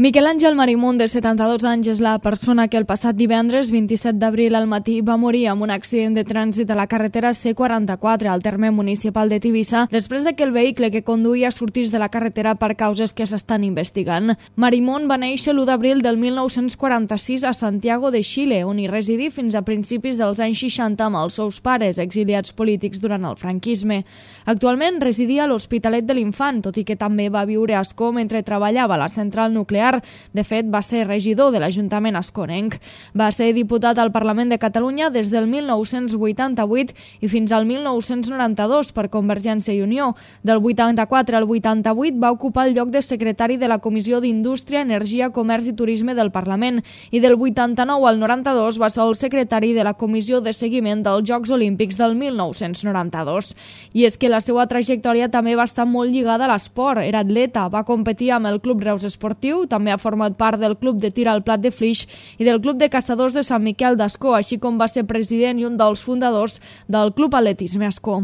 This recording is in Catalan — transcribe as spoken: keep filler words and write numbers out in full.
Miquel Àngel Marimón, de setanta-dos anys, és la persona que el passat divendres vint-i-set d'abril al matí va morir amb un accident de trànsit a la carretera C quaranta-quatre al terme municipal de Tivissa després de que el vehicle que conduïa sortís de la carretera per causes que s'estan investigant. Marimón va néixer l'u d'abril del mil nou-cents quaranta-sis a Santiago de Xile, on hi residí fins a principis dels anys seixanta amb els seus pares, exiliats polítics durant el franquisme. Actualment residia a l'Hospitalet de l'Infant, tot i que també va viure a Ascó mentre treballava a la central nuclear. De fet, va ser regidor de l'Ajuntament asconenc. Va ser diputat al Parlament de Catalunya des del mil nou-cents vuitanta-vuit i fins al mil nou-cents noranta-dos per Convergència i Unió. Del vuitanta-quatre al vuitanta-vuit va ocupar el lloc de secretari de la Comissió d'Indústria, Energia, Comerç i Turisme del Parlament i del vuitanta-nou al noranta-dos va ser el secretari de la Comissió de Seguiment dels Jocs Olímpics del mil nou-cents noranta-dos. I és que la seva trajectòria també va estar molt lligada a l'esport. Era atleta, va competir amb el Club Reus Esportiu, també ha format part del Club de Tir al Plat de Flix i del Club de Caçadors de Sant Miquel d'Ascó, així com va ser president i un dels fundadors del Club Atletisme Ascó.